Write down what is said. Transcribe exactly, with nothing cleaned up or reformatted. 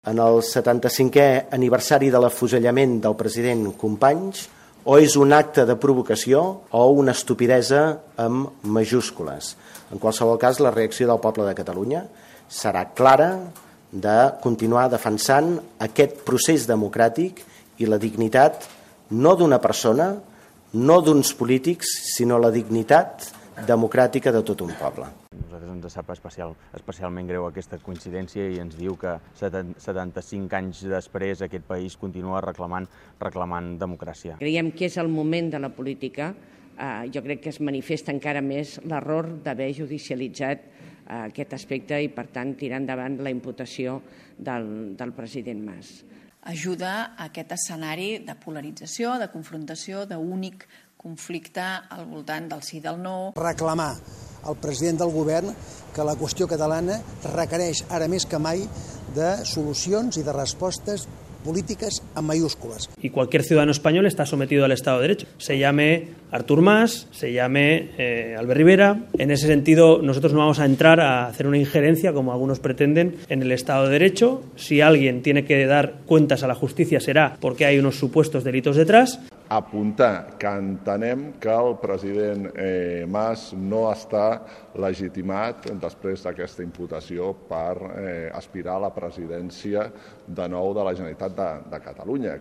en el setanta-cinquè aniversari de l'afusellament del president Companys, o és un acte de provocació o una estupidesa amb majúscules. En qualsevol cas, la reacció del poble de Catalunya serà clara de continuar defensant aquest procés democràtic i la dignitat no d'una persona, no d'uns polítics, sinó la dignitat democràtica de tot un poble. A nosaltres ens sap especial, especialment greu aquesta coincidència i ens diu que setanta-cinc anys després aquest país continua reclamant, reclamant democràcia. Creiem que és el moment de la política. Eh, jo crec que es manifesta encara més l'error d'haver judicialitzat eh, aquest aspecte i, per tant, tirar endavant la imputació del, del president Mas. Ajuda a aquest escenari de polarització, de confrontació, d'únic conflicte al voltant del sí i del no. Reclamar al president del govern que la qüestió catalana requereix ara més que mai de solucions i de respostes políticas en mayúsculas. Y cualquier ciudadano español está sometido al Estado de Derecho. Se llame Artur Mas, se llame eh, Albert Rivera. En ese sentido, nosotros no vamos a entrar a hacer una injerencia, como algunos pretenden, en el Estado de Derecho. Si alguien tiene que dar cuentas a la justicia será porque hay unos supuestos delitos detrás. Apuntar que entenem que el president eh, Mas no està legitimat després d'aquesta imputació per eh, aspirar a la presidència de nou de la Generalitat de, de Catalunya.